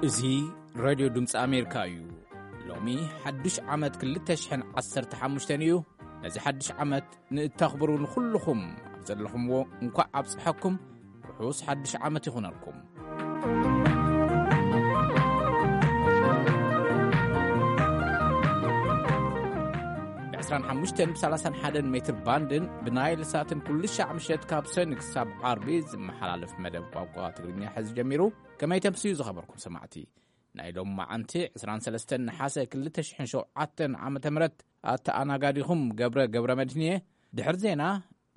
እዚ ሬድዮ ድምፂ ኣሜሪካ እዩ። ሎሚ ሓዱሽ ዓመት ክልተ ሽሕን ዓሰርተ ሓሙሽተን እዩ። ነዚ ሓዱሽ ዓመት ንእተኽብሩ ንኹልኹም ኣብ ዘለኹምዎ እንኳዕ ኣብፅሐኩም። ርሑስ ሓዱሽ ዓመት ይኹነልኩም። ብ ዕስራን ሓሙሽተን ብ ሰላሳን ሓደን ሜትር ባንድን ብናይል ሳትን ኩሉ ሻዕ ምሸት ካብ ሰኒ ክሳብ ዓርቢ ዝመሓላለፍ መደብ ቋንቋ ትግርኛ ሕዚ ጀሚሩ። ከመይ ተምስዩ ዝኸበርኩም ሰማዕቲ? ናይ ሎም መዓንቲ ዕስራን ሰለስተን ነሓሰ ክልተ ሽሕን ሸውዓተን ዓመተ ምህረት ኣተኣናጋዲኹም ገብረ ገብረ መድህን እየ። ድሕሪ ዜና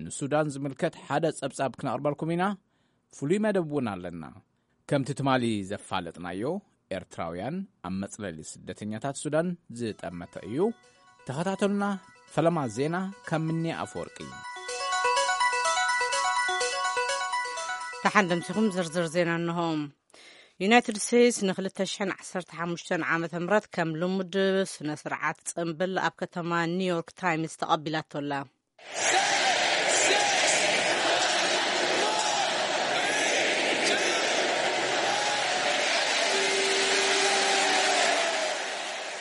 ንሱዳን ዝምልከት ሓደ ጸብጻብ ክነቕርበልኩም ኢና። ፍሉይ መደብ እውን ኣለና። ከምቲ ትማሊ ዘፋለጥናዮ፣ ኤርትራውያን ኣብ መጽለሊ ስደተኛታት ሱዳን ዝጠመተ እዩ። ተኸታተሉና። ፈለማ ዜና ካብ ምኒ ኣፈወርቂ። ደሓን ደምሲኹም ዝርዝር ዜና እንሆ። ዩናይትድ ስቴትስ ን ክልተ ሽሕን ዓሰርተ ሓሙሽተን ዓመተ ምህረት ከም ልሙድ ስነ ስርዓት ጽምብል ኣብ ከተማ ኒውዮርክ ታይምስ ተቐቢላቶ ኣላ።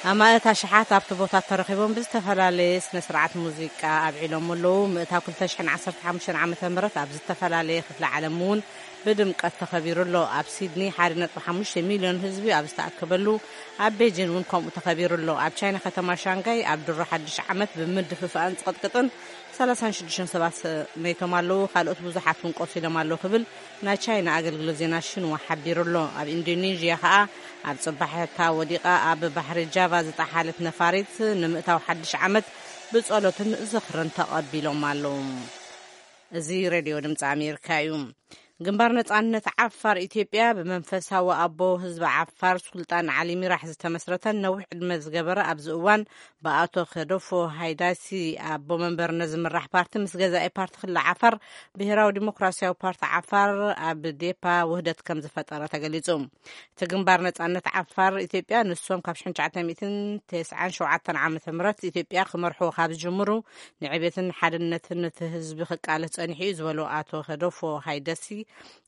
ኣማእት ኣሽሓት ኣብቲ ቦታ ተረኺቦም ብዝተፈላለየ ስነ ስርዓት ሙዚቃ ኣብዒሎም ኣለዉ። ምእታው ክልተ ሽሕን ዓሰርተ ሓሙሽተን ዓመተ ምህረት ኣብ ዝተፈላለየ ክፍለ ዓለም እውን ብድምቀት ተኸቢሩ ኣሎ። ኣብ ሲድኒ ሓደ ነጥቢ ሓሙሽተ ሚልዮን ህዝቢ ኣብ ዝተኣከበሉ፣ ኣብ ቤጂን እውን ከምኡ ተኸቢሩ ኣሎ። ኣብ ቻይና ከተማ ሻንጋይ ኣብ ድሮ ሓድሽ ዓመት ብምድፍፋእን ጽቕጥቅጥን ሰላሳን ሽዱሽተን ሰባት መይቶም ኣለዉ። ካልኦት ብዙሓት እውን ቆሲሎም ኣለዉ ክብል ናይ ቻይና ኣገልግሎት ዜና ሽንዋ ሓቢሩ ኣሎ። ኣብ ኢንዶኔዥያ ኸኣ ኣብ ጽባሕታ ወዲቓ ኣብ ባሕሪ ጃቫ ዝጠሓለት ነፋሪት ንምእታው ሓድሽ ዓመት ብጸሎትን ዝኽርን ተቐቢሎም ኣለዉ። እዚ ሬድዮ ድምፂ ኣሜሪካ እዩ። ግንባር ነጻነት ዓፋር ኢትዮጵያ ብመንፈሳዊ ኣቦ ህዝቢ ዓፋር ሱልጣን ዓሊ ሚራሕ ዝተመስረተን ነዊሕ ዕድመ ዝገበረ፣ ኣብዚ እዋን ብኣቶ ከደፎ ሃይዳሲ ኣቦ መንበርነት ዝምራሕ ፓርቲ ምስ ገዛኢ ፓርቲ ክልል ዓፋር ብሄራዊ ዲሞክራሲያዊ ፓርቲ ዓፋር ኣብ ዴፓ ውህደት ከም ዝፈጠረ ተገሊጹ። እቲ ግንባር ነጻነት ዓፋር ኢትዮጵያ ንሶም ካብ ሽሕን ትሽዓተ ሚእትን ተስዓን ሸውዓተን ዓመተ ምህረት ኢትዮጵያ ክመርሑ ካብ ዝጅምሩ ንዕቤትን ሓድነትን እቲ ህዝቢ ክቃለስ ጸኒሑ እዩ ዝበሉ ኣቶ ከደፎ ሃይደሲ፣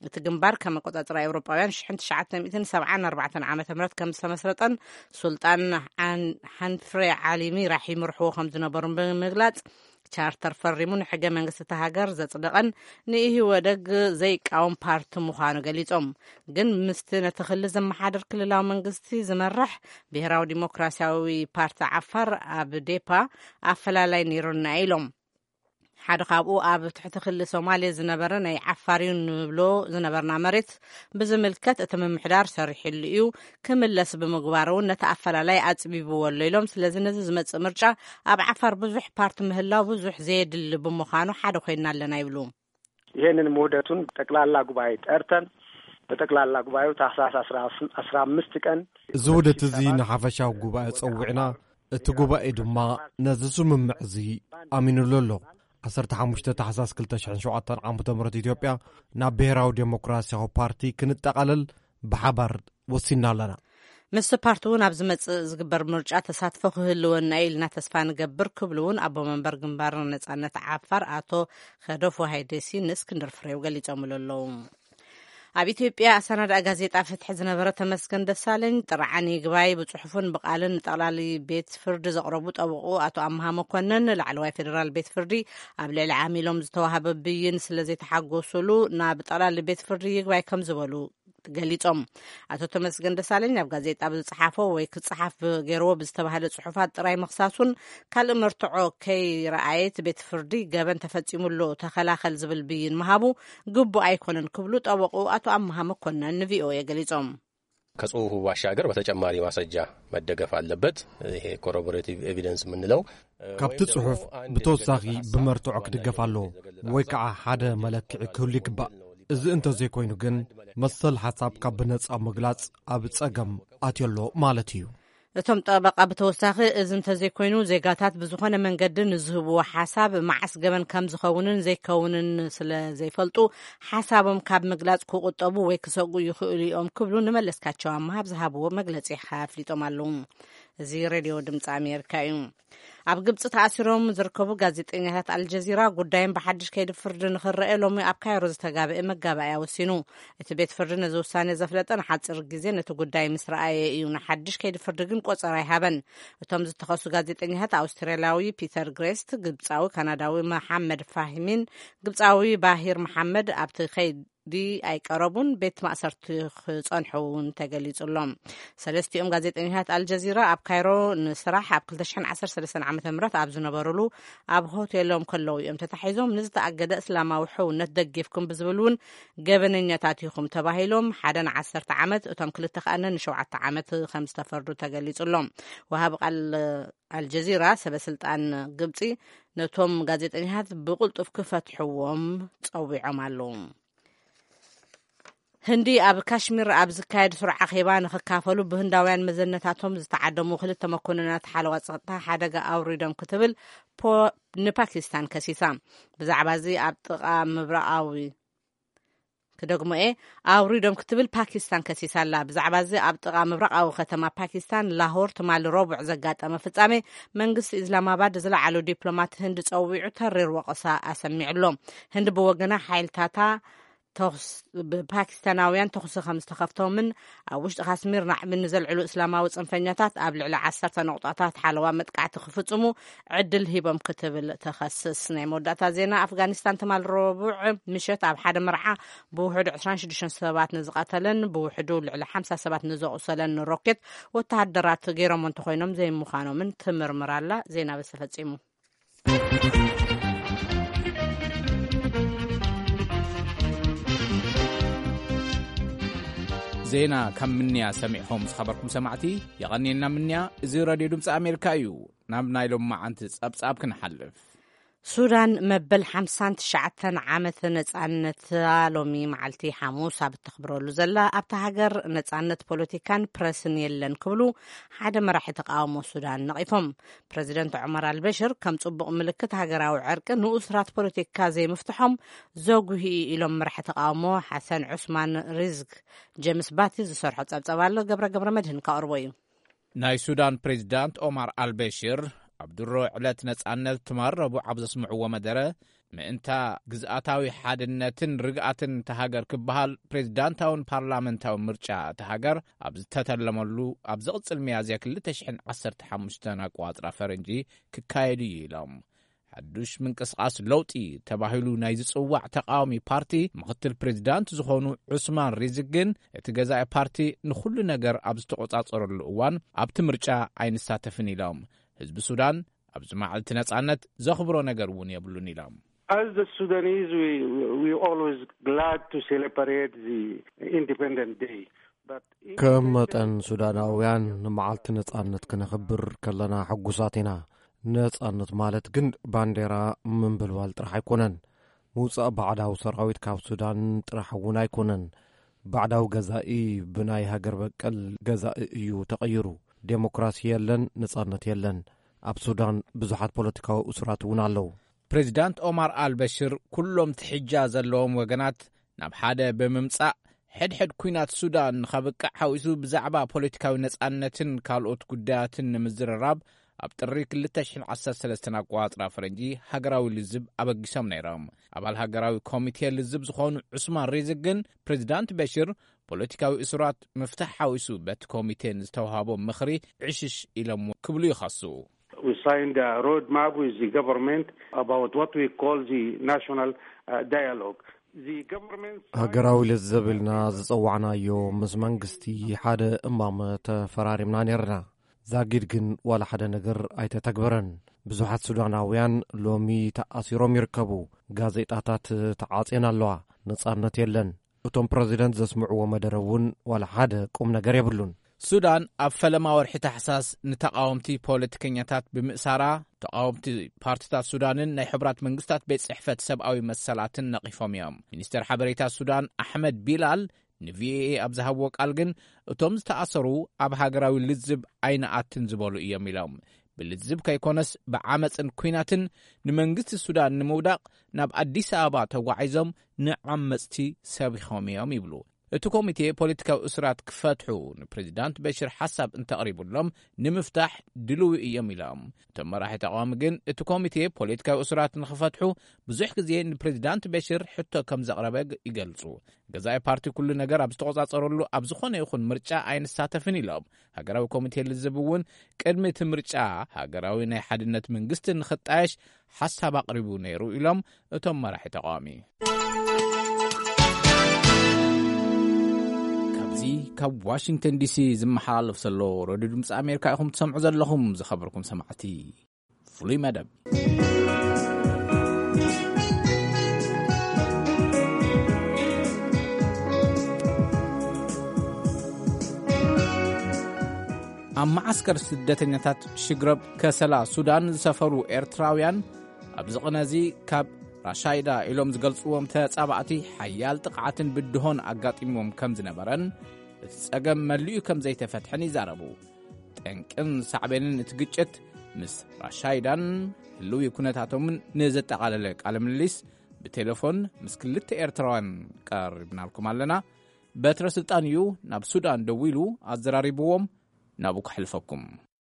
እቲ ግንባር ከም ኣቆጻጽራ ኤውሮጳውያን ሽሕን ትሽዓተ ሚእትን ሰብዓን ኣርባዕተን ዓመተ ምህረት ከም ዝተመስረጠን ሱልጣን ሓን-፣ ሓንፍሬ ዓሊ ሚራሕ ይመርሕዎ ከም ዝነበሩን ብምግላጽ፣ ቻርተር ፈሪሙ ንሕገ መንግስቲ እታ ሃገር ዘጽደቐን ንኢህወደግ ዘይቃወም ፓርቲ ምዃኑ ገሊጾም። ግን ምስቲ ነቲ ክልል ዘመሓድር ክልላዊ መንግስቲ ዝመርሕ ብሄራዊ ዲሞክራሲያዊ ፓርቲ ዓፋር ኣብ ዴፓ ኣፈላላይ ነይሩና ኢሎም። ሓደ ካብኡ ኣብ ትሕቲ ክሊ ሶማሌ ዝነበረ ናይ ዓፋር እዩ ንብሎ ዝነበርና መሬት ብዝምልከት እቲ ምምሕዳር ሰሪሕሉ እዩ፣ ክምለስ ብምግባር እውን ነቲ ኣፈላላይ ኣጽቢብዎ ኣሎ ኢሎም። ስለዚ ነዚ ዝመጽእ ምርጫ ኣብ ዓፋር ብዙሕ ፓርቲ ምህላው ብዙሕ ዘየድሊ ብምዃኑ ሓደ ኮይና ኣለና ይብሉ። ይሄንን ውህደቱን ጠቅላላ ጉባኤ ጠርተን በጠቅላላ ጉባኤው ታህሳስ አስራ አምስት ቀን እዚ ውህደት እዚ ንሓፈሻዊ ጉባኤ ጸዊዕና፣ እቲ ጉባኤ ድማ ነዚ ስምምዕ እዚ ኣሚኑሉ ኣሎ። ዓሰርተ ሓሙሽተ ታሕሳስ ክልተ ሽሕን ሸውዓተን ዓመተ ምህረት ኢትዮጵያ ናብ ብሔራዊ ዴሞክራሲያዊ ፓርቲ ክንጠቓለል ብሓባር ወሲንና ኣለና። ምስቲ ፓርቲ እውን ኣብ ዝመጽእ ዝግበር ምርጫ ተሳትፎ ክህልወና ኢልና ተስፋ ንገብር ክብሉ እውን ኣቦ መንበር ግንባር ነጻነት ዓፋር ኣቶ ከደፎ ሃይደሲ ንእስክንድር ፍሬው ገሊጾምሉ ኣለዉ። ኣብ ኢትዮጵያ ኣሰናዳኢ ጋዜጣ ፍትሒ ዝነበረ ተመስገን ደሳለኝ ጥርዓን ይግባይ ብጽሑፍን ብቓልን ንጠቕላሊ ቤት ፍርዲ ዘቕረቡ ጠበቑ ኣቶ ኣምሃ መኮነን ላዕለዋይ ፌዴራል ቤት ፍርዲ ኣብ ልዕሊ ዓሚሎም ዝተዋህበ ብይን ስለ ዘይተሓጎሱሉ ናብ ጠቕላሊ ቤት ፍርዲ ይግባይ ከም ዝበሉ ገሊጾም። ኣቶ ተመስገን ደሳለኝ ኣብ ጋዜጣ ብዝጸሓፎ ወይ ክጸሓፍ ገይርዎ ብዝተባህለ ጽሑፋት ጥራይ ምኽሳሱን ካልእ መርትዖ ከይረኣየት ቤት ፍርዲ ገበን ተፈጺሙሉ ተኸላኸል ዝብል ብይን ምሃቡ ግቡእ ኣይኮነን ክብሉ ጠበቑ ኣቶ ኣምሃ መኮነን ንቪኦኤ ገሊጾም። ከጽሁፉ ባሻገር በተጨማሪ ማስረጃ መደገፍ ኣለበት። ይሄ ኮሮቦሬቲቭ ኤቪደንስ የምንለው ካብቲ ጽሑፍ ብተወሳኺ ብመርትዖ ክድገፍ ኣለዎ ወይ ከዓ ሓደ መለክዒ ክህሉ ይግባእ። እዚ እንተዘይኮይኑ ግን መሰል ሓሳብካ ብነጻ ምግላጽ ኣብ ጸገም ኣትዮ ኣሎ ማለት እዩ። እቶም ጠበቃ ብተወሳኺ እዚ እንተዘይኮይኑ ዜጋታት ብዝኾነ መንገዲ ንዝህብዎ ሓሳብ መዓስ ገበን ከም ዝኸውንን ዘይከውንን ስለ ዘይፈልጡ ሓሳቦም ካብ ምግላጽ ክቁጠቡ ወይ ክሰጉ ይኽእሉ እዮም ክብሉ ንመለስካቸው ኣምሃ ኣብ ዝሃብዎ መግለጺ ኣፍሊጦም ኣለዉ። እዚ ሬድዮ ድምፂ ኣሜሪካ እዩ። ኣብ ግብጺ ተኣሲሮም ዝርከቡ ጋዜጠኛታት ኣልጀዚራ ጉዳዮም ብሓድሽ ከይዲ ፍርዲ ንኽረአ ሎሚ ኣብ ካይሮ ዝተጋብአ መጋባእያ ወሲኑ። እቲ ቤት ፍርዲ ነዚ ውሳኔ ዘፍለጠ ንሓጺር ግዜ ነቲ ጉዳይ ምስ ረኣየ እዩ። ንሓድሽ ከይዲ ፍርዲ ግን ቆጸራ ኣይሃበን። እቶም ዝተኸሱ ጋዜጠኛታት ኣውስትራልያዊ ፒተር ግሬስት፣ ግብጻዊ ካናዳዊ መሓመድ ፋሂሚን ግብጻዊ ባሂር መሓመድ ኣብቲ ከይዲ ኣይቀረቡን፣ ቤት ማእሰርቲ ክጸንሑ እውን ተገሊጹሎም። ሰለስቲኦም ጋዜጠኛታት ኣልጀዚራ ኣብ ካይሮ ንስራሕ ኣብ ክልተ ሽሕን ዓሰርተ ሰለስተን ዓመተ ምህረት ኣብ ዝነበሩሉ ኣብ ሆቴሎም ከለዉ እዮም ተታሒዞም። ንዝተኣገደ እስላማዊ ሕውነት ደጊፍኩም ብዝብል እውን ገበነኛታት ኢኹም ተባሂሎም፣ ሓደ ንዓሰርተ ዓመት፣ እቶም ክልተ ከኣነ ንሸውዓተ ዓመት ከም ዝተፈርዱ ተገሊጹሎም። ወሃቢ ቃል ኣልጀዚራ፣ ሰበ ስልጣን ግብጺ፣ ነቶም ጋዜጠኛታት ብቕልጡፍ ክፈትሕዎም ጸዊዖም ኣለዉ። ህንዲ ኣብ ካሽሚር ኣብ ዝካየድ ስሩዕ ኣኼባ ንኽካፈሉ ብህንዳውያን መዘነታቶም ዝተዓደሙ ክልተ መኮንናት ሓለዋ ጸጥታ ሓደጋ ኣውሪዶም ክትብል ፖ-፣ ንፓኪስታን ከሲሳ። ብዛዕባ እዚ ኣብ ጥቓ ምብራቓዊ ክደግሞ እየ፣ ኣውሪዶም ክትብል ፓኪስታን ከሲሳ ኣላ። ብዛዕባ እዚ ኣብ ጥቓ ምብራቓዊ ከተማ ፓኪስታን ላሆር ትማሊ ረቡዕ ዘጋጠመ ፍጻሜ መንግስቲ ኢስላማባድ ዝለዓሉ ዲፕሎማት ህንዲ ጸዊዑ ተሪር ወቐሳ ኣሰሚዑ ኣሎ። ህንዲ ብወገና ሓይልታታ ተኹስ-፣ ብፓኪስታናውያን ተኹሲ ከም ዝተኸፍቶምን ኣብ ውሽጢ ካስሚር ናዕቢ ንዘልዕሉ እስላማዊ ጽንፈኛታት ኣብ ልዕሊ ዓሰርተ ነቑጣታት ሓለዋ መጥቃዕቲ ክፍጽሙ ዕድል ሂቦም ክትብል ተኸስስ። ናይ መወዳእታ ዜና፣ ኣፍጋኒስታን ትማል ረቡዕ ምሸት ኣብ ሓደ መርዓ ብውሕዱ ዕስራን ሽዱሽተን ሰባት ንዝቐተለን ብውሕዱ ልዕሊ ሓምሳ ሰባት ንዘቑሰለን ሮኬት ወተሃደራት ገይሮም እንተኾይኖም ዘይምዃኖምን ትምርምር ኣላ። ዜና በዚ ተፈጺሙ። ዜና ካብ ምንያ ሰሚዕኹም ዝኸበርኩም ሰማዕቲ፣ የቐንየና ምንያ። እዚ ሬድዮ ድምፂ ኣሜሪካ እዩ። ናብ ናይ ሎማዓንቲ ጸብጻብ ክንሓልፍ። ሱዳን መበል ሓምሳን ትሽዓተን ዓመት ነጻነታ ሎሚ መዓልቲ ሓሙስ ኣብ እተኽብረሉ ዘላ፣ ኣብታ ሃገር ነጻነት ፖለቲካን ፕረስን የለን ክብሉ ሓደ መራሒ ተቃውሞ ሱዳን ነቒፎም። ፕረዚደንት ዑመር ኣልበሽር ከም ጽቡቕ ምልክት ሃገራዊ ዕርቂ ንኡስራት ፖለቲካ ዘይምፍትሖም ዘጉሂ ኢሎም መራሒ ተቃውሞ ሓሰን ዑስማን ሪዝግ። ጀምስ ባቲ ዝሰርሖ ጸብጸብ ኣሎ፣ ገብረ ገብረ መድህን ከቕርቦ እዩ። ናይ ሱዳን ፕሬዚዳንት ኦማር ኣልበሽር ኣብ ድሮ ዕለት ነጻነት ትማል ረቡዕ ኣብ ዘስምዕዎ መደረ፣ ምእንታ ግዝኣታዊ ሓድነትን ርግኣትን እታ ሃገር ክበሃል፣ ፕሬዚዳንታውን ፓርላመንታዊ ምርጫ እታ ሃገር ኣብ ዝተተለመሉ ኣብ ዝቕጽል ሚያዝያ ክልተ ሽሕን ዓሰርተ ሓሙሽተን ኣቋጽራ ፈረንጂ ክካየድ እዩ ኢሎም። ሓዱሽ ምንቅስቓስ ለውጢ ተባሂሉ ናይ ዝጽዋዕ ተቃዋሚ ፓርቲ ምኽትል ፕሬዚዳንት ዝኾኑ ዑስማን ሪዝግ ግን፣ እቲ ገዛኢ ፓርቲ ንኹሉ ነገር ኣብ ዝተቆጻጸረሉ እዋን ኣብቲ ምርጫ ኣይንሳተፍን ኢሎም። ህዝቢ ሱዳን ኣብዚ መዓልቲ ነጻነት ዘኽብሮ ነገር እውን የብሉን ኢሎም። As the Sudanese, we, we, we always glad to celebrate the Independent Day. But ከም መጠን ሱዳናውያን ንመዓልቲ ነጻነት ክነኽብር ከለና ሕጉሳት ኢና። ነጻነት ማለት ግን ባንዴራ ምንብልባል ጥራሕ ኣይኮነን። ምውጻእ ባዕዳዊ ሰራዊት ካብ ሱዳን ጥራሕ እውን ኣይኮነን። ባዕዳዊ ገዛኢ ብናይ ሃገር በቀል ገዛኢ እዩ ተቐይሩ። ዴሞክራሲ የለን፣ ነጻነት የለን። ኣብ ሱዳን ብዙሓት ፖለቲካዊ እሱራት እውን ኣለዉ። ፕሬዚዳንት ኦማር ኣልበሽር ኩሎም ትሕጃ ዘለዎም ወገናት ናብ ሓደ ብምምጻእ፣ ሕድሕድ ኲናት ሱዳን ንኸብቅዕ ሓዊሱ ብዛዕባ ፖለቲካዊ ነጻነትን ካልኦት ጉዳያትን ንምዝርራብ ኣብ ጥሪ ክልተ ሽሕን ዓሰርተ ሰለስተን ኣቋጽራ ፈረንጂ ሃገራዊ ልዝብ ኣበጊሶም ነይሮም። ኣባል ሃገራዊ ኮሚቴ ልዝብ ዝኾኑ ዑስማን ሪዝግ ግን፣ ፕሬዚዳንት በሽር ፖለቲካዊ እሱራት ምፍታሕ ሓዊሱ በቲ ኮሚቴ ንዝተዋሃቦም ምኽሪ ዕሽሽ ኢሎም ክብሉ ይኸሱ። We signed a roadmap with the government about what we call the national, uh, dialogue. The government ሃገራዊ ልዝብ ኢልና ዝጸዋዕናዮ ምስ መንግስቲ ሓደ እማመ ተፈራሪምና ነይርና። ዛጊድ ግን ዋላ ሓደ ነገር ኣይተተግበረን። ብዙሓት ሱዳናውያን ሎሚ ተኣሲሮም ይርከቡ። ጋዜጣታት ተዓጽየን ኣለዋ። ነጻነት የለን። እቶም ፕረዚደንት ዘስምዕዎ መደረ እውን ዋላ ሓደ ቁም ነገር የብሉን። ሱዳን ኣብ ፈለማ ወርሒ ታሕሳስ ንተቓወምቲ ፖለቲከኛታት ብምእሳራ፣ ተቓወምቲ ፓርቲታት ሱዳንን ናይ ሕቡራት መንግስታት ቤት ጽሕፈት ሰብኣዊ መሰላትን ነቒፎም እዮም። ሚኒስተር ሓበሬታ ሱዳን ኣሕመድ ቢላል ንቪኦኤ ኣብ ዝሃብዎ ቃል ግን፣ እቶም ዝተኣሰሩ ኣብ ሃገራዊ ልዝብ ኣይንኣትን ዝበሉ እዮም ኢሎም። ብልዝብ ከይኮነስ ብዓመፅን ኲናትን ንመንግስቲ ሱዳን ንምውዳቕ ናብ ኣዲስ ኣበባ ተጓዒዞም ንዓመፅቲ ሰቢኾም እዮም ይብሉ። እቲ ኮሚቴ ፖለቲካዊ እስራት ክፈትሑ ንፕሬዚዳንት በሽር ሓሳብ እንተቕሪቡሎም ንምፍታሕ ድልዊ እዮም ኢሎም። እቶም መራሒ ተቃዋሚ ግን እቲ ኮሚቴ ፖለቲካዊ እስራት ንኽፈትሑ ብዙሕ ግዜ ንፕሬዚዳንት በሽር ሕቶ ከም ዘቕረበ ይገልጹ። ገዛኢ ፓርቲ ኩሉ ነገር ኣብ ዝተቆጻጸረሉ ኣብ ዝኾነ ይኹን ምርጫ ኣይንሳተፍን ኢሎም። ሃገራዊ ኮሚቴ ልዝብ እውን ቅድሚ እቲ ምርጫ ሃገራዊ ናይ ሓድነት መንግስቲ ንኽጣየሽ ሓሳብ ኣቕሪቡ ነይሩ ኢሎም እቶም መራሒ ተቃዋሚ። ካብዚ ካብ ዋሽንግተን ዲሲ ዝመሓላለፍ ዘሎ ሬድዮ ድምፂ ኣሜሪካ ኢኹም ትሰምዑ ዘለኹም። ዝኸበርኩም ሰማዕቲ፣ ፍሉይ መደብ። ኣብ መዓስከር ስደተኛታት ሽግረብ ከሰላ ሱዳን ዝሰፈሩ ኤርትራውያን ኣብዚ ቅነ እዚ ካብ ራሻይዳ ኢሎም ዝገልጽዎም ተጻባእቲ ሓያል ጥቕዓትን ብድሆን ኣጋጢምዎም ከም ዝነበረን እቲ ጸገም መሊኡ ከም ዘይተፈትሐን ይዛረቡ። ጠንቅን ሳዕቤንን እቲ ግጭት ምስ ራሻይዳን ህልዊ ኩነታቶምን ንዘጠቓለለ ቃለ ምልልስ ብቴሌፎን ምስ ክልተ ኤርትራውያን ቀሪብናልኩም ኣለና። በትረ ስልጣን እዩ ናብ ሱዳን ደዊሉ ኣዘራሪብዎም። ናብኡ ከሕልፈኩም።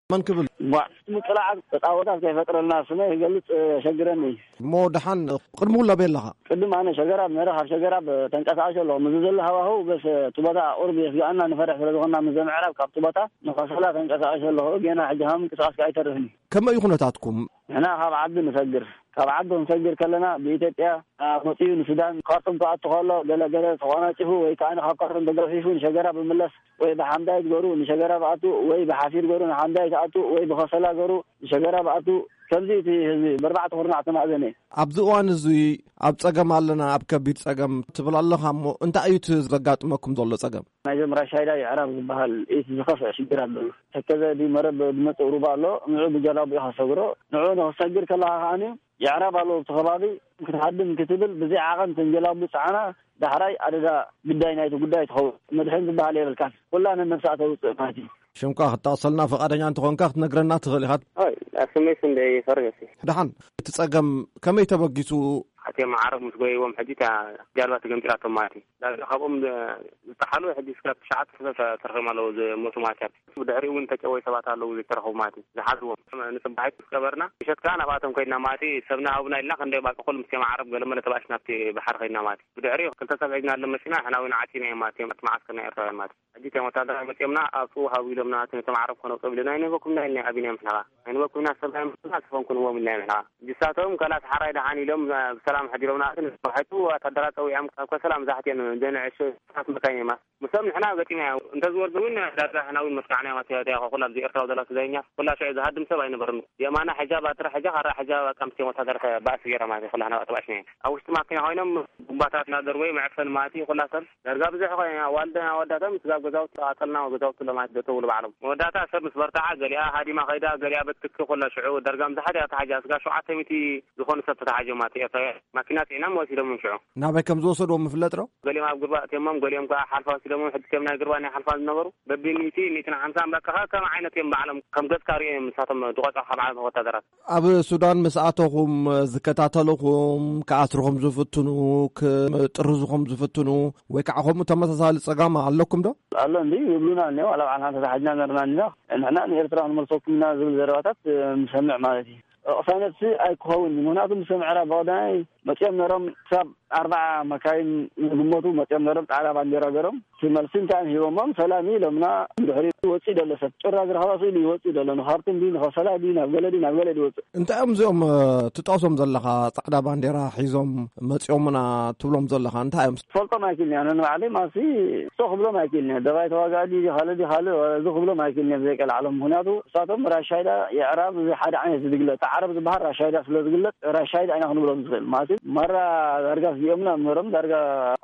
መን ክብል? ቧዕ፣ ምጥላዓት ተጻወታት ከይፈጥረልና ስመ ይገልጽ፣ እ፣ ሸግረኒ። እሞ ደሓን ቅድሚ ኩሉ ኣበይ ኣለኻ? ቅድም ኣነ ሸገራብ ነረ፣ ካብ ሸገራብ ተንቀሳቐሽ ኣለኹ። ምስ ዘሎ ሃዋህው በስ እቲ ቦታ ቁርብ የስግኣና ንፈርሕ ስለ ዝኾንና ምስ ዘምዕራብ ካብቲ ቦታ ንኸሰላ ተንቀሳቐሽ ኣለኹ። ገና ሕጂ ካብ ምንቅስቓስ ከኣ ኣይተርፍን እዩ። ከመይ እዩ ኩነታትኩም? ንሕና ካብ ዓዲ ንሰግር። ካብ ዓዲ ክንሰግር ከለና ብኢትዮጵያ፣ አ፣ መጺኡ ንሱዳን ካርቱም ክኣቱ ከሎ ገለ ገለ ተቖናጪፉ ወይ ከኣ ካብ ካርቱም ተገፊፉ ንሸገራ ብምለስ ወይ ብሓምዳይት ገሩ ንሸገራ ብኣቱ ወይ ብሓፊር ገሩ ንሓምዳይት ኣቱ ወይ ብኸሰላ ገሩ ንሸገራ ብኣቱ። ከምዚ እቲ ህዝቢ ብኣርባዕተ ኩርናዕ ተማእዘነ። ኣብዚ እዋን እዚ ኣብ ጸገም ኣለና፣ ኣብ ከቢድ ጸገም ትብል ኣለኻ እሞ እንታይ እዩ እቲ ዘጋጥመኩም ዘሎ ጸገም? ናይዞም ራሻይዳ የዕራብ ዝበሃል እቲ ዝኸፍአ ሽግር ኣሎ። ተከዘ ድዩ መረብ ዝመጽእ ሩባ ኣሎ፣ ንዑ ብጀላቡ ኢኻ ሰግሮ። ንዑ ንኽሰግር ከለኻ ከኣኒ የዕራብ ኣለዉ ኣብቲ ከባቢ። ክትሃድም ክትብል ብዘይ ዓቐን ተንጀላቡ ጸዓና ዳሕራይ ኣደዳ ግዳይ ናይቲ ጉዳይ ትኸውን። መድሕን ዝበሃል የብልካን። ኩላ ነነብሳ ተውጽእ ማለት እዩ። ሽምካ ክትጠቕሰልና ፍቓደኛ እንተኾንካ ክትነግረና ትኽእል ኢኻ። ኣይ፣ ኣስመይስ እንደ ይፈርገሲ። ደሓን፣ እቲ ጸገም ከመይ ተበጊሱ? ኣትዮም ዓረብ ምስ ጎይዎም ሕጂ እታ ጃልባ ተገምጢላቶም ማለት እዩ። ዳርጋ ካብኦም ዝ-፣ ዝጠሓሉ ሕጂ እስካብ ትሽዓተ ሰብ ተ-፣ ተረኺቦም ኣለዉ ዝሞቱ ማለት እዩ። ብድሕሪኡ እውን ተጨወዩ ሰባት ኣለዉ ዘይተረኸቡ ማለት እዩ። ዝሓዝዎም ንጽባሒት ምስ ቀበርና፣ ምሸት ከኣ ናብኣቶም ከይድና ማለት እዩ። ሰብና ሃቡና ኢልና ክንደይ ባቂ ኩሉ ምስቶም ዓረብ ገለመለ ተባእስ ናብቲ ባሕሪ ከይድና ማለት እዩ። ብድሕሪኡ ክልተ ሰብ ሒዝና ኣሎ መሲና፣ ንሕና እውን ዓጺናዮም ማለት እዮም፣ ኣብቲ መዓስከር ናይ ኤርትራውያን ማለት እዩ። ሕጂ እቶም ወታደራዊ መጺኦምና፣ ኣብኡ ሃቡ ኢሎምና፣ እቲ ነቶም ዓረብ ክነውጽኦም ኢሎና፣ ኣይንህበኩምና ኢልና ኣቢናዮም ንሕና። ኣይንህበኩምና፣ ሰብና ይመስልና፣ ስፈንኩንዎም ኢልና ንሕና። እጅሳቶም ከላስ ሓራይ ደሓን ኢሎም፣ እ፣ ብሰላም ኣሕዲሮምና። ግን ባሕቱ ወታደራት ጸዊዖም ካብ ከሰላ መብዛሕትኦም ደንዕሹ ታት መካይን እዮም። ምስኦም ንሕና ገጢምና። እንተዝወርዱ እውን ዳርጋ ንሕና እውን መስካዕና እዮም። ኣትያ፣ ኣትያ፣ ኩላ ኣብዚ ኤርትራዊ ዘላ ስደተኛ ኩላ ሽዑ ዝሃድም ሰብ ኣይነበርን። የማና ሕጃብ፣ ኣትራ ሕጃብ፣ ካራ ሕጃብ፣ ኣቃምስቲ ወታደር ባእሲ ገይሮም ማለት እዩ። ኩላ ናብ ኣጥባሽና እዮም። ኣብ ውሽጢ ማኪና ኮይኖም ቡምባታት እናደርበዩ መዕፈኒ ማለት እዩ። ኩላ ሰብ ዳርጋ ብዙሕ ኮይኑ ኣዋልድን ኣወዳትን ስጋብ ገዛውቲ ተቓጸልና፣ ገዛውቲ ለማት ደተውሉ ባዕሎም። መወዳእታ ሰብ ምስ በርትዓ ገሊኣ ሃዲማ ከይዳ፣ ገሊኣ በትኪ ኩላ ሽዑ ደርጋ ምሳሓት እያ ተሓጃ። ስጋ ሸውዓተ ሚእቲ ዝኾኑ ሰብ ተተሓጀ ማለት እዩ። ኤርትራውያን ማኪና ጽዒኖም ወሲዶም ሽዑ። ናበይ ከም ዝወሰድዎም ምፍለጥ ዶ? ገሊኦም ኣብ ጉርባ ኣትዮሞም፣ ገሊኦም ከኣ ሓልፋ ወሲዶሞም። ሕጂ ከም ናይ ጉርባ ናይ ሓልፋ ዝነበሩ በቢ ሚእቲ፣ ሚእትን ሓምሳን በቃ ከም ዓይነት እዮም ባዕሎም ከም ገጽካ ርእዮም ንሳቶም ዝቆጽዑ ካብ ዓለም ወታደራት። ኣብ ሱዳን ምስ ኣተኹም ዝከታተልኹም፣ ክኣስርኹም ዝፍትኑ፣ ክጥርዝኹም ዝፍትኑ፣ ወይ ከዓ ከምኡ ተመሳሳሊ ጸጋም ኣለኩም ዶ? ኣሎ እንዲ ይብሉና እኒኦ፣ ዋላ ባዕልና ተታሒዝና ነርና እኒና፣ ንሕና ንኤርትራ ክንመልሰኩም ኢና ዝብል ዘረባታት፣ እ፣ ንሰምዕ ማለት እዩ። ቅሳነትሲ ኣይክኸውን፣ ምኽንያቱ ምስ ምዕራብ ብቐዳማይ መጺኦም ነሮም፣ ክሳብ ኣርባዓ መካይን ዝግመቱ መጺኦም ነሮም፣ ጻዕዳ ባንዴራ ገሮም። እቲ መልሲ እንታይ እዮም ሂቦሞም? ሰላም እዩ ኢሎምና። ድሕሪ ወፂኡ ደሎ ሰብ ጭራ ዝረኸባ ስእሉ ይወፅእ ደሎ፣ ንኻርቱም ድዩ፣ ንኸሰላ ድዩ፣ ናብ ገለ ድዩ፣ ናብ ገለ ድዩ ወፅእ። እንታይ እዮም እዚኦም፣ እ፣ ትጠቕሶም ዘለኻ ጻዕዳ ባንዴራ ሒዞም መጺኦምና ትብሎም ዘለኻ? እንታይ እዮም? ፈልጦም ኣይክእልን እያ። ነንባዕለይ ማሲ እሶ ክብሎም ኣይክእልን እየ። ደባይ ተዋጋእ ድዩ፣ ካልእ ድዩ፣ ካልእ እዚ ክብሎም ኣይክእልን እየ ብዘይቀልዓሎም። ምኽንያቱ እሳቶም ራሻይዳ የዕራብ እዚ ሓደ ዓይነት ዝግለጽ፣ ዓረብ ዝበሃል ራሻይዳ ስለ ዝግለጽ፣ ራሻይዳ ኢና ክንብሎም ንኽእል። ማለት ማራ ዳርጋ ስጊኦምና እምበሮም ዳርጋ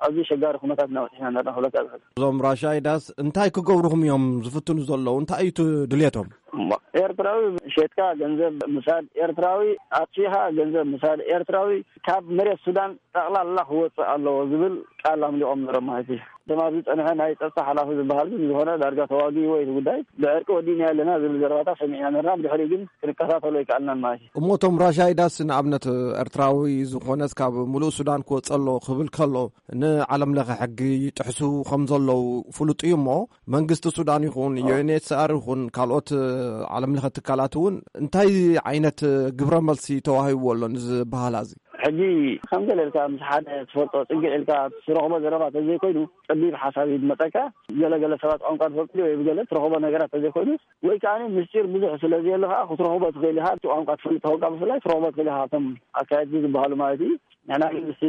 ኣብዚ ሸጋሪ ኩነታት እናበጽሕና ነርና ክብለካ ዝኽእል። እዞም ራሻይዳስ እንታይ ክገብሩኹም እዮም ዝፍትኑ ዘለዉ? እንታይ እዩ እቲ ድልየቶም? እሞ ኤርትራዊ ሸጥካ ገንዘብ ምሳድ፣ ኤርትራዊ ኣጥፊኻ ገንዘብ ምሳድ፣ ኤርትራዊ ካብ መሬት ሱዳን ጠቕላላ ክወፅእ ኣለዎ ዝብል ቃል ኣምሊቖም ነሮም ማለት እዩ። እቶም ኣብዚ ፀንሐ ናይ ፀጥታ ሓላፊ ዝበሃል ግን ዝኾነ ዳርጋ ተዋጊ ወይ እቲ ጉዳይ ብዕርቂ ወዲእና ኣለና ዝብል ዘረባታ ሰሚዕና ነርና። ብድሕሪኡ ግን ክንከታተሎ ኣይከኣልናን ማለት እዩ። እሞ እቶም ራሻይዳስ ንኣብነት ኤርትራዊ ዝኾነስ ካብ ሙሉእ ሱዳን ክወፅእ ኣሎ ክብል ከሎ ንዓለም ለኸ ሕጊ ይጥሕሱ ከም ዘለዉ ፍሉጥ እዩ። እሞ መንግስቲ ሱዳን ይኹን ዩ ኤን ኤች ሲ ኣር ይኹን ካልኦት ዓለም ለኸ ትካላት እውን እንታይ ዓይነት ግብረ መልሲ ተዋሂብዎ ኣሎ ንዝበሃላ እዚ? ሕጂ ከም ገለ ኢልካ ምስ ሓደ ትፈልጦ ጽግዕ ኢልካ ትረኽቦ ዘረባ ተዘይኮይኑ፣ ጸቢብ ሓሳብ እዩ ዝመጸካ። ገለገለ ሰባት ቋንቋ ትፈልጡ ወይ ብገለ ትረኽቦ ነገራት ተዘይኮይኑ፣ ወይ ከኣ ምስጢር ብዙሕ ስለ ዘየለ ከኣ ክትረኽቦ ትኽእል ኢኻ። እቲ ቋንቋ ትፈልጥ ተኾንካ ብፍላይ ትረኽቦ ትኽእል ኢኻ። ካብቶም ኣካየድቲ ዝበሃሉ ማለት እዩ። ንሕና ግን ምስቲ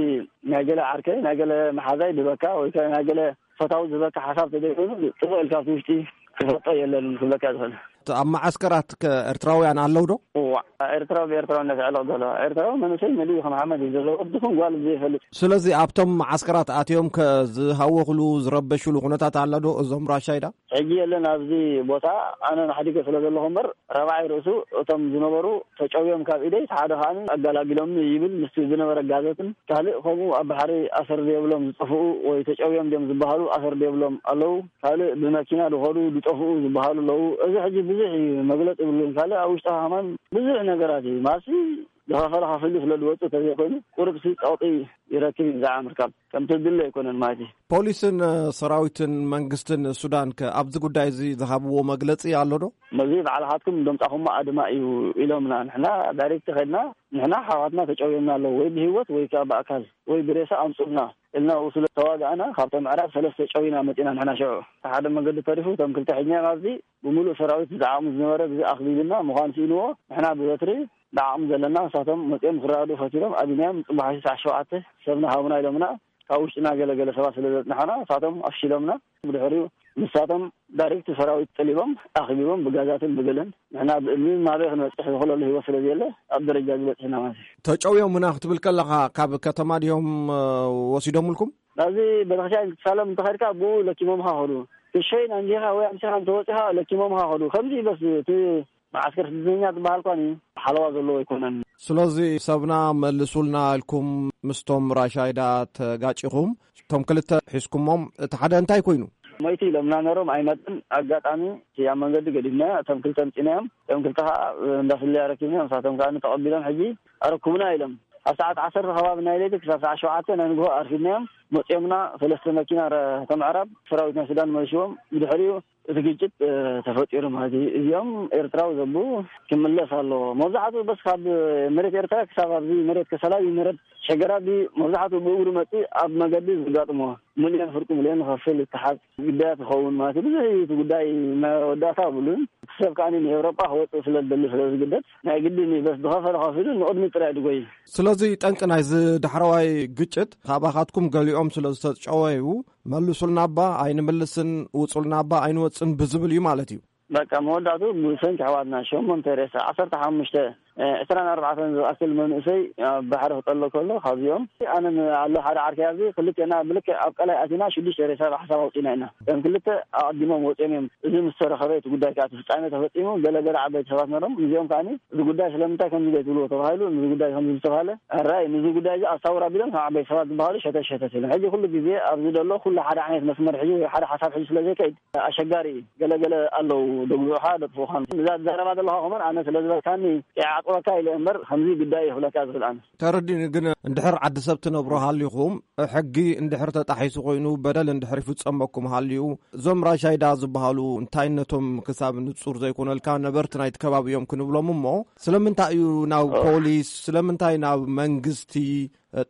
ናይ ገለ ዓርከይ፣ ናይ ገለ መሓዛይ ድበካ ወይ ከ ናይ ገለ ፈታዊ ዝበካ ሓሳብ ተዘይኮይኑ፣ ጽቡቕ ኢልካ ኣብቲ ውሽጢ ክፈልጦ የለን ክብለካ ዝኽእል። ኣብ መዓስከራት ከ ኤርትራውያን ኣለዉ ዶ? እዋ፣ ኤርትራዊ ብኤርትራውነት ዕለቕ ዘሎ። ኤርትራዊ መንእሰይ መሊኡ ከም ሓመድ እዩ ዘሎ፣ ወዲ ኹን ጓል ዘይፈልጥ። ስለዚ ኣብቶም መዓስከራት ኣትዮም ከ ዝሃወኽሉ ዝረበሽሉ ኩነታት ኣሎ ዶ እዞም ራሻይዳ? ሕጂ የለን ኣብዚ ቦታ፣ ኣነ ሓዲገ ስለ ዘለኹ እምበር፣ ረብዓይ ርእሱ እቶም ዝነበሩ ተጨውዮም ካብ ኢደይ፣ እቲ ሓደ ከኣ ኣጋላጊሎም ይብል ምስቲ ዝነበረ ጋዘትን ካልእ ከምኡ ኣብ ባሕሪ ኣሰር ዘይብሎም ዝጠፍኡ ወይ ተጨውዮም ድዮም ዝበሃሉ ኣሰር ዘይብሎም ኣለዉ። ካልእ ብመኪና ዝኸዱ ዝጠፍኡ ዝበሃሉ ኣለዉ። እዚ ሕጂ ብዙሕ እዩ፣ መግለጺ ይብሉን። ካልእ ኣብ ውሽጢ ሃማን ብዙሕ ነገራት እዩ። ማሲ ዝኸፈለ ከፊሉ ስለ ዝወጽእ ተዘይኮይኑ ቁሩብሲ ጸቕጢ ይረክብ እዩ ብዛዕባ ምርካብ። ከምቲ ዝድለ ኣይኮነን ማለት እዩ። ፖሊስን ሰራዊትን መንግስትን ሱዳን ከ ኣብዚ ጉዳይ እዚ ዝሃብዎ መግለጺ ኣሎ ዶ? መዚ ባዕልኻትኩም ደምጻኹሞ ኣድማ እዩ ኢሎምና። ንሕና ዳይሬክት ኸድና ንሕና ሓዋትና ተጨውዮምና ኣለዉ፣ ወይ ብህይወት ወይ ከኣ ብኣካል ወይ ብሬሳ ኣምጹልና እልና ኡ ስለ ተዋጋእና ካብቶም ምዕራብ ሰለስተ ጨዊና መጺና። ንሕና ሽዑ እቲ ሓደ መንገዲ ተሪፉ እቶም ክልተ ሒዝናዮም ኣብዚ ብምሉእ ሰራዊት ዝዓቕሙ ዝነበረ ግዜ ኣኽቢብና ምዃን ስኢንዎ ንሕና ብበትሪ ንዓቕሙ ዘለና ንሳቶም መጺኦም ክረዳድኡ ፈቲኖም ኣቢናዮም። ጽቡሕ ሓይሲ ሰዓት ሸውዓተ ሰብና ሃቡና ኢሎምና። ካብ ውሽጥና ገለ ገለ ሰባት ስለ ዘጽናሕና ንሳቶም ኣፍሺሎምና። ብድሕሪኡ ንሳቶም ዳይሬክት ሰራዊት ጠሊቦም ኣኽቢቦም ብጋዛትን ብገለን ንሕና ብእምንን ማበይ ክንበጽሕ ዝኽእለሉ ህይወት ስለ ዘየለ ኣብ ደረጃ ዝበጽሕና ማለት እዩ። ተጨውዮምና ክትብል ከለኻ ካብ ከተማ ድዮም ወሲዶምልኩም? ናብዚ ቤተክርስትያን ክትሳለም እንተኸድካ ብኡ ለኪሞምኻ ኸዱ። ክሸይን ኣንዲኻ ወይ ኣምሲኻ እንተወፂኻ ለኪሞምኻ ኸዱ። ከምዚ ይበስ እቲ መዓስከር ስደተኛ ዝበሃል ኳኒ ሓለዋ ዘለዎ ኣይኮነን። ስለዚ ሰብና መልሱልና ኢልኩም ምስቶም ራሻይዳ ተጋጭኹም፣ እቶም ክልተ ሒዝኩሞም፣ እቲ ሓደ እንታይ ኮይኑ? ሞይቲ ኢሎምና ነሮም ኣይመጥን። ኣጋጣሚ እቲ ኣብ መንገዲ ገዲፍና እቶም ክልተ ምፂናዮም። እቶም ክልተ ከዓ እንዳፍለያ ረኪብና፣ ንሳቶም ከዓ ተቐቢሎም ሕጂ ኣረኩብና ኢሎም። ኣብ ሰዓት ዓሰርተ ከባቢ ናይ ለይቲ ክሳብ ሰዓት ሸውዓተ ናይ ንግሆ ኣርፊድናዮም። መፂኦምና ሰለስተ መኪና ረ-፣ ተምዕራብ ሰራዊት ናይ ሱዳን መሊሽዎም። ብድሕሪኡ እቲ ግጭት ተፈጢሩ ማለት እዩ። እዚኦም ኤርትራዊ ዘቡ ክምለስ ኣለዎ። መብዛሕትኡ በስ ካብ መሬት ኤርትራ ክሳብ ኣብዚ መሬት ከሰላ እዩ መሬት ሸገራቢ መብዛሕትኡ ብእግሩ መፂ ኣብ መገዲ ዝጋጥሞ ሚልዮን ፍርቂ ሚልዮን ንኸፍል ይተሓዝ ግዳያት ይኸውን ማለት እዩ። ብዙሕ እዩ እቲ ጉዳይ መወዳእታ ብሉን ሰብ ከኣ ንኤውሮጳ ክወፅእ ስለ ዝደሊ ስለ ዝግደድ ናይ ግድን እዩ። በስ ዝኸፈለ ከፊሉ ንቕድሚ ጥራይ ድጎይ። ስለዚ ጠንቂ ናይዚ ዳሕረዋይ ግጭት ካባኻትኩም ገሊኦም ስለ ዝተጨወዩ መልሱልና እባ ኣይንምልስን ውፁልና እባ ኣይንወፅን ብዝብል እዩ ማለት እዩ። በቃ መወዳእቱ ብሰንኪ ኣሕዋትና ሸሞንተ ሬሳ ዓሰርተ ሓሙሽተ ዕስራን ኣርባዕተን ዝኣክል መንእሰይ ኣብ ባሕሪ ክጠሎ ከሎ ካብዚኦም ኣነ ኣሎ ሓደ ዓርከይ ኣብዚ ክልቴና ብልክዕ ኣብ ቀላይ ኣቲና ሽዱሽተ ሬሳ ብሓሳብ ኣውፂና ኢና። እቶም ክልተ ኣቐዲሞም ወፂኦም እዮም። እዚ ምስ ተረኸበ እቲ ጉዳይ ከዓ እቲ ፍፃሜ ተፈፂሙ። ገለገለ ዓበይቲ ሰባት ነሮም እዚኦም ከዓ እዚ ጉዳይ ስለምንታይ ከምዚ ዘይትብልዎ ተባሂሉ እዚ ጉዳይ ከምዚ ዝተባሃለ ኣራይ ንዚ ጉዳይ እዚ ኣሳውር ኣቢሎም ካብ ዓበይቲ ሰባት ዝበሃሉ ሸተት ሸተት ኢሎም ሕጂ ኩሉ ግዜ ኣብዚ ዘሎ ኩሉ ሓደ ዓይነት መስመር ሕጂ ወይ ሓደ ሓሳብ ሕጂ ስለ ዘይከይድ ኣሸጋሪ እዩ። ገለገለ ኣለዉ ደግብኡኻ ደጥፍኡኻን እዛ ዘረባ ዘለኻ ከመን ኣነ ስለ ዝበልካኒ ይዓቅበካ ኢለ እምበር ከምዚ ጉዳይ ይኽብለካ ዝኽእል ኣነ። ተረዲኒ። ግን እንድሕር ዓዲ ሰብ ትነብሩ ሃሊኹም ሕጊ እንድሕር ተጣሒሱ ኮይኑ በደል እንድሕር ይፍጸመኩም ሃልዩ እዞም ራሻይዳ ዝበሃሉ እንታይነቶም ክሳብ ንጹር ዘይኮነልካ ነበርቲ ናይቲ ከባቢ እዮም ክንብሎም እሞ ስለምንታይ እዩ ናብ ፖሊስ ስለምንታይ ናብ መንግስቲ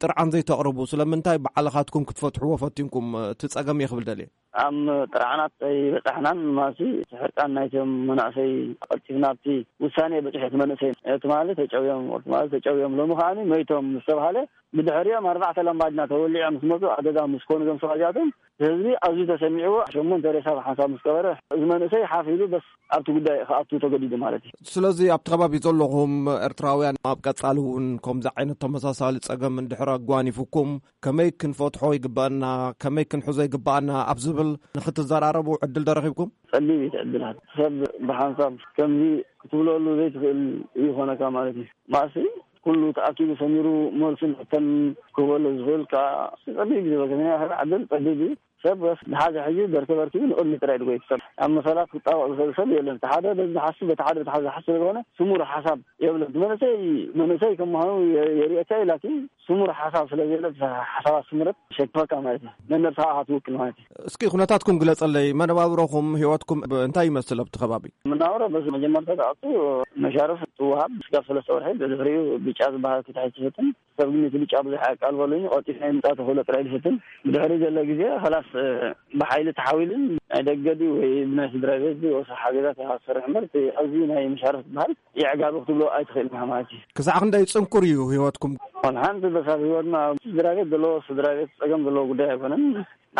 ጥርዓን ዘይተቕርቡ ስለምንታይ ባዕልኻትኩም ክትፈትሕዎ ፈቲንኩም እቲ ጸገም እየ ክብል ደልየ። ኣብ ጥርዓናት ኣይበጻሕናን ማሲ ሕርቃን ናይቶም መናእሰይ ቀልጢፍና ኣብቲ ውሳኔ በጺሑ እቲ መንእሰይ ትማሊ ተጨውዮም ትማሊ ተጨውዮም ሎሚ ከዓኒ መይቶም ዝተባሃለ ብድሕሪኦም ኣርባዕተ ላምባዲና ተወሊዖም ምስ መፁ ኣገዛ ምስ ኮኑ እዞም ሰባት እዚኣቶም ህዝቢ ኣዝዩ ተሰሚዕዎ ሸሞንተ ሬሳ ብሓንሳብ ምስ ቀበረ እዚ መንእሰይ ሓፍ ኢሉ በስ ኣብቲ ጉዳይ ክኣቱ ተገዲዱ ማለት እዩ። ስለዚ ኣብቲ ከባቢ ዘለኹም ኤርትራውያን ኣብ ቀጻሊ እውን ከምዚ ዓይነት ተመሳሳሊ ጸገም ድሕሪ ኣጓኒፉኩም ከመይ ክንፈትሖ ይግባኣና፣ ከመይ ክንሕዞ ይግባኣና ኣብ ዝብል ንኽትዘራረቡ ዕድል ዶ ረኺብኩም? ጸቢብ እዩ እቲ ዕድላት። ሰብ ብሓንሳብ ከምዚ ክትብለሉ ዘይትኽእል ይኾነካ ማለት እዩ። ማእሲ ኩሉ ተኣኪቡ ሰሚሩ መልሱን ሕቶን ክህበሉ ዝኽእል ከኣ ጸቢብ እዩ ዝበልከ። ናይ ዕድል ጸቢብ እዩ። ሰብ ወስ ብሓደ ሕጂ በርከ በርኪቡ ንቕድሚ ጥራይ ድጎይ ሰብ ኣብ መሰላት ክጣበቕ ዝኽእል ሰብ የለን። እቲ ሓደ በዚ ዝሓስብ፣ በቲ ሓደ በቲ ሓደ ዝሓስብ ስለዝኾነ ስሙር ሓሳብ የብለን። እቲ መንእሰይ መንእሰይ ከም ምዃኑ የ-፣ የርእየካ እዩ። ላኪን ስሙር ሓሳብ ስለ ዘየለ፣ እቲ ሓሳባት ስምረት ሸክፈካ ማለት እዩ። ነነብስኻ ኢኻ ትውክል ማለት እዩ። እስኪ ኩነታትኩም ግለጸለይ። መነባብሮኹም፣ ህይወትኩም ብ-፣ እንታይ ይመስል ኣብቲ ከባቢ? መነባብሮ በዚ መጀመርታ ተኣቱ መሻርፍ ትወሃብ ስጋብ ሰለስተ ወርሒ፣ ብድሕሪኡ ብጫ ዝበሃል ክትሕዝ ትፍትን። ሰብ ግን እቲ ብጫ ብዙሕ ኣቃልበሉኝ፣ ቀልጢፍና ምምጻእ ተኽእሎ ጥራይ ዝፍትን። ብድሕሪ ዘሎ ግዜ፣ ኸላስ፣ እ፣ ብሓይሊ ተሓዊልን ናይ ደገ ድዩ ወይ ብናይ ስድራ ቤት ድዩ ወሰ ሓገዛት ኢኻ ትሰርሕ እምበር፣ እቲ ኣብዚ ናይ መሻርፍ ዝበሃል የዕጋቢ ክትብሎ ኣይትኽእልን ኢኻ ማለት እዩ። ክሳዕ ክንደይ ጽንኩር እዩ ህይወትኩም? ወላ ሓንቲ በሳል ህይወትና፣ ስድራ ቤት ዘለዎ፣ ስድራ ቤት ጸገም ዘለዎ ጉዳይ ኣይኮነን።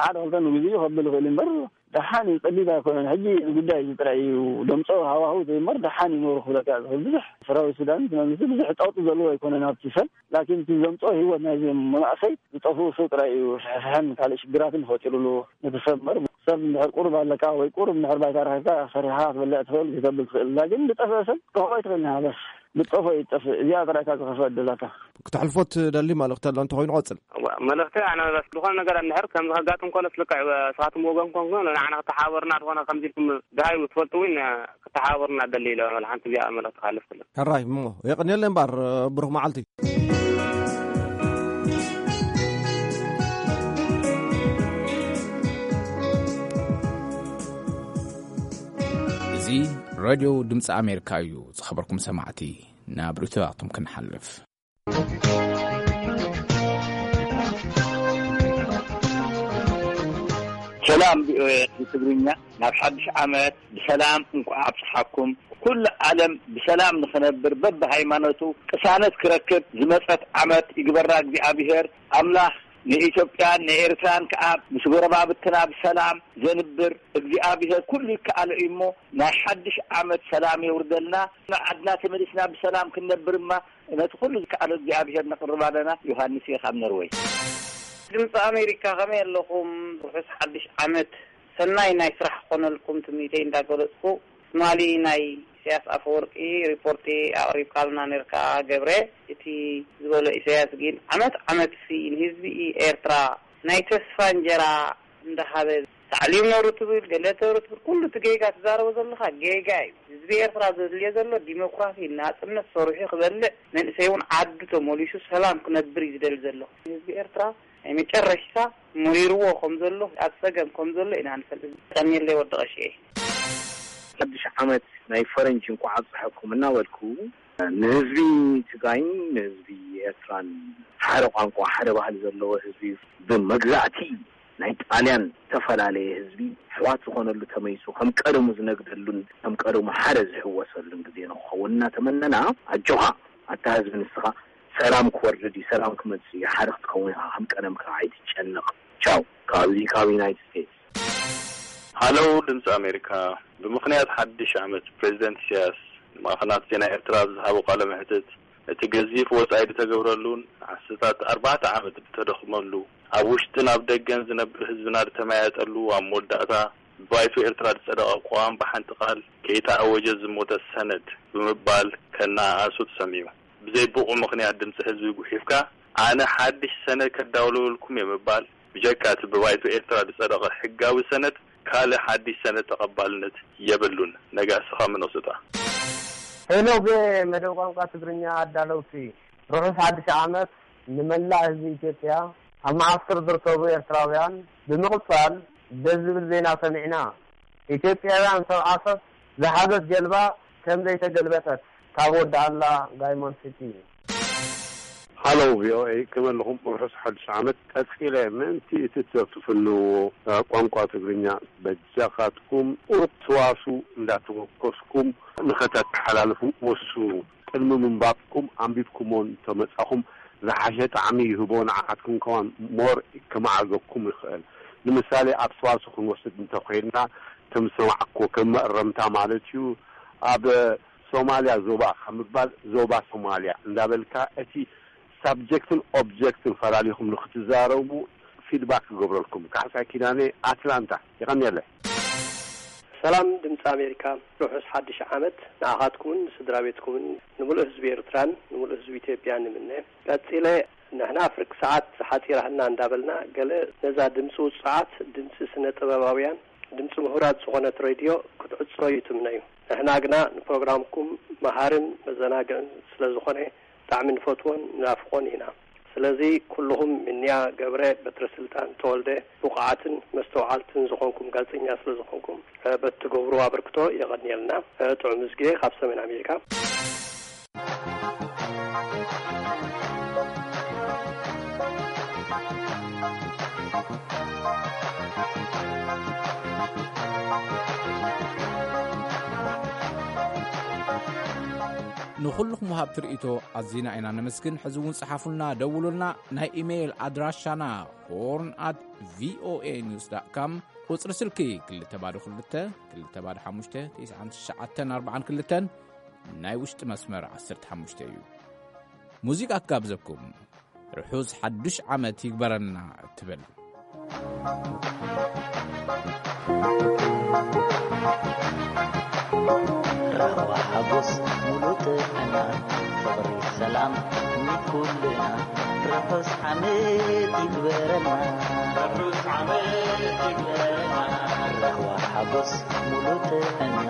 ሓደ ክልተ ንግዜ ከብል ይኽእል እምበር፣ ደሓን እዩ፣ ጸቢብ ኣይኮነን። ሕጂ እዚ ጉዳይ እዚ ጥራይ እዩ ደምጾ ሃዋህው ዘይመር፣ ደሓን እዩ ኖሩ ክብለካ ዝኽእል። ብዙሕ ሰራዊት ሱዳን እቲ መንግስቲ ብዙሕ ጸቕጢ ዘለዎ ኣይኮነን ኣብቲ ሰብ። ላኪን እቲ ዘምጾ ህይወት ናይዚ መናእሰይ ዝጠፍኡ ሰብ ጥራይ እዩ። ፍሕፍሕን ካልእ ሽግራትን ፈጢሩሉ ነቲ ሰብ እምበር። ሰብ እንድሕር ቁሩብ ኣለካ ወይ ቁሩብ እንድሕር ባይታ ረኺብካ ሰሪሕኻ ክትበልዕ ትኽእል፣ ክተብል ትኽእል። ላኪን ዝጠፍአ ሰብ ክትረኽቦ ኣይትኽእልን ኢኻ። በስ ዝጠፍኦ እዩ ዝጠፍእ። እዚኣ ጥራይ እካ ዝኸፍአ ዕድላታ። ክተሕልፎ ትደሊ መልእኽቲ ኣሎ እንተኾይኑ ቀጽል። እዋ፣ መልእኽቲ ኣነ በስ ዝኾነ ነገር እንድሕር ከምዚ ከጋጥም ከሎ ልክዕ ንስኻትኩም ወገን ኮንኩም ንዓና ክተሓባበሩና ዝኾነ ከምዚ ኢልኩም ደሃዩ ትፈልጡ እውን ክተሓባበሩና ደሊ ኢለ ሓንቲ እዚኣ መልእኽቲ ክሓልፍ ክእል። ሕራይ እሞ የቐንየለይ እምበኣር ብሩኽ መዓልቲ። እዚ ሬድዮ ድምፂ ኣሜሪካ እዩ። ዝኸበርኩም ሰማዕቲ፣ ናብ ርእይቶታትኩም ክንሓልፍ። ሰላም ቪኦኤ ትግርኛ፣ ናብ ሓድሽ ዓመት ብሰላም እንኳዕ ኣብጽሓኩም። ኩሉ ዓለም ብሰላም ንኽነብር፣ በብሃይማኖቱ ቅሳነት ክረክብ ዝመጸት ዓመት ይግበራ እግዚኣብሔር ኣምላኽ። ንኢትዮጵያን ንኤርትራን ከኣ ምስ ጎረባብትና ብሰላም ዘንብር እግዚኣብሔር ኩሉ ይከኣሎ እዩ እሞ፣ ናይ ሓድሽ ዓመት ሰላም የውርደልና። ንዓድና ተመሊስና ብሰላም ክንነብር እማ ነቲ ኩሉ ዝከኣሎ እግዚኣብሔር ነቕርብ ኣለና። ዮሃንስ እየ ካብ ኖርወይ። ድምፂ ኣሜሪካ፣ ከመይ ኣለኹም? ርሑስ ሓድሽ ዓመት፣ ሰናይ ናይ ስራሕ ክኾነልኩም ትምኒተይ እንዳገለጽኩ፣ ትማሊ ናይ ኢሳያስ ኣፈወርቂ ሪፖርቲ ኣቕሪብካልና ነርካ ገብረ። እቲ ዝበሎ ኢሳያስ ግን ዓመት ዓመት ሲ ንህዝቢ ኤርትራ ናይ ተስፋ እንጀራ እንዳሃበ ታዕሊም ነሩ ትብል፣ ገለ ተሩ ትብል፣ ኩሉ እቲ ጌጋ ትዛረቦ ዘለኻ ጌጋ እዩ። ህዝቢ ኤርትራ ዘድልዮ ዘሎ ዲሞክራሲ፣ ናጽነት፣ ሰሪሑ ክበልዕ፣ መንእሰይ እውን ዓዱ ተመሊሱ ሰላም ክነብር እዩ ዝደሊ ዘሎ። ህዝቢ ኤርትራ ናይ መጨረሽታ መሪርዎ ከም ዘሎ፣ ኣብ ጸገም ከም ዘሎ ኢና ንፈልጥ። ቀንየለይ ወዲ ቀሽኤ። ሓድሽ ዓመት ናይ ፈረንጂ እንኳዕ ኣብፀሐኩም እናበልኩ፣ ንህዝቢ ትግራይን ንህዝቢ ኤርትራን፣ ሓደ ቋንቋ፣ ሓደ ባህሊ ዘለዎ ህዝቢ፣ ብመግዛእቲ ናይ ጣልያን ዝተፈላለየ ህዝቢ ኣሕዋት ዝኾነሉ ተመይሱ ከም ቀደሙ ዝነግደሉን ከም ቀደሙ ሓደ ዝሕወሰሉን ግዜ ንክኸውን እናተመነና፣ ኣጆኻ ኣታ ህዝቢ፣ ንስኻ ሰላም ክወርድ እዩ፣ ሰላም ክመጽእ እዩ፣ ሓደ ክትከውን ኢኻ፣ ከም ቀደምካ ኣይትጨነቕ። ቻው። ካብዚ ካብ ዩናይትድ ስቴትስ። ሃለው ድምፂ ኣሜሪካ፣ ብምኽንያት ሓድሽ ዓመት ፕሬዚደንት ኢሳያስ ንማዕኸናት ዜና ኤርትራ ኣብ ዝሃቦ ቃለ መሕትት፣ እቲ ገዚፍ ወጻኢ ዝተገብረሉን ዓሰርታት ኣርባዕተ ዓመት ዝተደኽመሉ፣ ኣብ ውሽጥን ኣብ ደገን ዝነብር ህዝብና ዝተመያየጠሉ፣ ኣብ መወዳእታ ብባይቶ ኤርትራ ዝጸደቐ ቅዋም ብሓንቲ ቃል ከይተኣወጀ ዝሞተ ሰነድ ብምባል ከነኣእሱ ተሰሚዑ። ብዘይ ብቑዕ ምኽንያት ድምፂ ህዝቢ ጉሒፍካ፣ ኣነ ሓድሽ ሰነድ ከዳውለወልኩም እየ ምባል፣ ብጀካ እቲ ብባይቶ ኤርትራ ዝጸደቐ ሕጋዊ ሰነድ፣ ካልእ ሓድሽ ሰነድ ተቐባልነት የብሉን። ነጋስኻ ምኖስታ። ሄሎ፣ ብመደብ ቋንቋ ትግርኛ ኣዳለውቲ፣ ርሑስ ሓድሽ ዓመት ንመላእ ህዝቢ ኢትዮጵያ፣ ኣብ መዓስከር ዝርከቡ ኤርትራውያን። ብምቕጻል፣ ደስ ዝብል ዜና ሰሚዕና። ኢትዮጵያውያን ሰብ ዓሰብ ዝሓዘት ጀልባ ከም ዘይተገልበጠት ካብ ወዲ ኣላ ዳይሞንድ ሲቲ። ሃሎ ቪኦኤ፣ ከመይ ኣለኹም? ርሑስ ሓድሽ ዓመት። ቀጺለ ምእንቲ እቲ እትዘብቱ ፍንዎ ቋንቋ ትግርኛ በጃኻትኩም ቁሩብ ትዋሱ እንዳተወከስኩም ንኸተተሓላልፉ ወስኑ። ቅድሚ ምንባብኩም ኣንቢብኩሞ እንተመጻኹም ዝሓሸ ጣዕሚ ይህቦ፣ ንዓኻትኩም ከማን ሞር ከመዓርገኩም ይኽእል። ንምሳሌ ኣብ ሰዋስው ክንወስድ እንተኾይንና፣ ከም ዝሰማዕኩዎ ከም መእረምታ ማለት እዩ፣ ኣብ ሶማልያ ዞባ ካብ ምባል ዞባ ሶማልያ እንዳበልካ እቲ ሳብጀክትን ኦብጀክትን ፈላሊኹም ንክትዛረቡ ፊድባክ ክገብረልኩም። ካሕሳይ ኪዳነ፣ ኣትላንታ። የቐንየለ። ሰላም ድምፂ ኣሜሪካ፣ ርሑስ ሓድሽ ዓመት ንኣኻትኩምን ንስድራ ቤትኩምን፣ ንምሉእ ህዝቢ ኤርትራን ንምሉእ ህዝቢ ኢትዮጵያን ንምነ። ቀጺለ፣ ንሕና ፍርቂ ሰዓት ሓጺራህና እንዳበልና፣ ገለ ነዛ ድምፂ ውጹዓት፣ ድምፂ ስነ ጥበባውያን፣ ድምፂ ምሁራት ዝኾነት ሬድዮ ክትዕጾ እዩ ትምነዩ። ንሕና ግና ንፕሮግራምኩም መሃርን መዘናግዕን ስለ ዝኾነ ብጣዕሚ ንፈትዎን ንናፍቆን ኢና። ስለዚ ኩልኹም ምንያ ገብረ፣ በትረ ስልጣን ተወልደ፣ ብቑዓትን መስተውዓልትን ዝኾንኩም ጋዜጠኛ ስለ ዝኾንኩም፣ እ፣ በቲ ትገብርዎ ኣበርክቶ የቐንየልና። እ፣ ጥዑም ዝግየ ካብ ሰሜን ኣሜሪካ። ንኹልኹም ወሃብቲ ርእይቶ ኣዚና ኢና ነመስግን። ሕዚ እውን ጽሓፉልና፣ ደውሉልና። ናይ ኢሜይል ኣድራሻና ሆርን ኣት ቪኦኤ ኒውስ ዳት ካም፣ ቁጽሪ ስልኪ ክልተ ባዶ ክልተ፣ ክልተ ባዶ ሓሙሽተ፣ ትሽዓን ትሽዓተን ኣርባዓን ክልተን፣ ናይ ውሽጢ መስመር ዓሰርተ ሓሙሽተ እዩ። ሙዚቃ ክጋብዘኩም። ርሑስ ሓዱሽ ዓመት ይግበረልና እትብል። ራህዋ ሓጎስ ሙሉእ ጥዕና፣ ፍቕሪ ሰላም ንኩልና፣ ርሑስ ዓመት ይግበረልና። ርሑስ ዓመት ይግበረልና። ራህዋ ሓጎስ ሙሉእ ጥዕና፣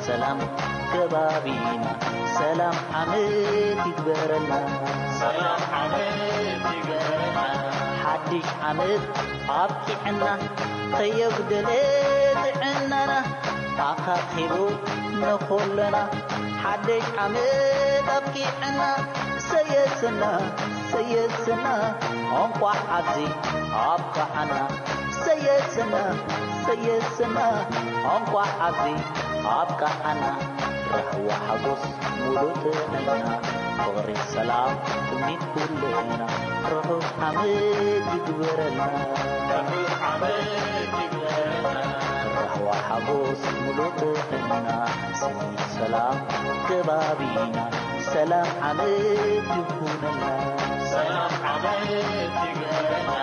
ሰላም ከባቢና፣ ሰላም ዓመት ይግበረልና። ሰላም ዓመት ይግበረልና። ሓድሽ ዓመት ኣብቂዕና፣ ከየጉደለ ጥዕናና ኣኻኺቡ ንኹልና። ሓድሽ ዓመት ኣብቂዕና፣ ሰየስና፣ ሰየስና፣ እንቋዕ ኣብዚ ኣብቅዓና። ሰየስና፣ ሰየስና፣ እንቋዕ ኣብዚ ኣብቅዓና። ራህዋ ሓጎስ ሙሉእ ጥዕና፣ ፍቕሪ ሰላም ትምኒት ኩልና። ርሑስ ዓመት ይግበረልና። ርሑስ ዓመት ይግበረልና። ራህዋ ሓጎስ ሙሉእ ጥዕና፣ ስኒት ሰላም ከባቢና። ሰላም ዓመት ይኹነልና። ሰላም ዓመት ይግበረልና።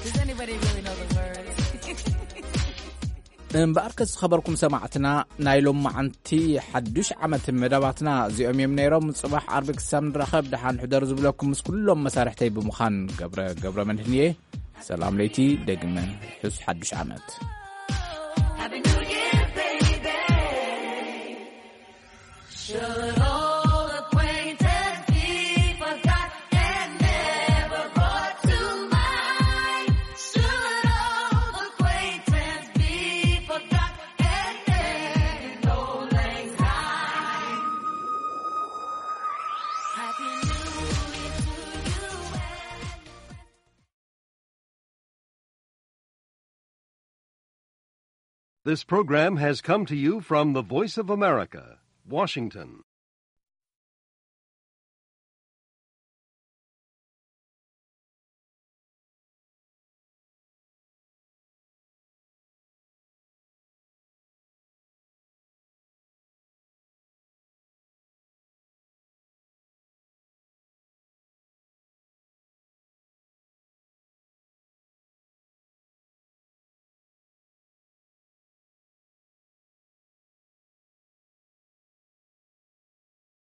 Does anybody really know the words? እምበኣርከስ ዝኸበርኩም ሰማዕትና፣ ናይ ሎማዓንቲ ሓዱሽ ዓመት መደባትና እዚኦም እዮም ነይሮም። ጽባሕ ዓርቢ ክሳብ ንራኸብ ደሓን ሕደሩ ዝብለኩም ምስ ኩሎም መሳርሕተይ ብምዃን ገብረ ገብረ መድህን እየ። ሰላም ለይቲ፣ ደግመ ርሑስ ሓዱሽ ዓመት። Should all acquaintance be forgot and never brought to mind? Should all acquaintance be forgot and end in old lang syne? Happy New Year to you. This program has come to you from the Voice of America, Washington.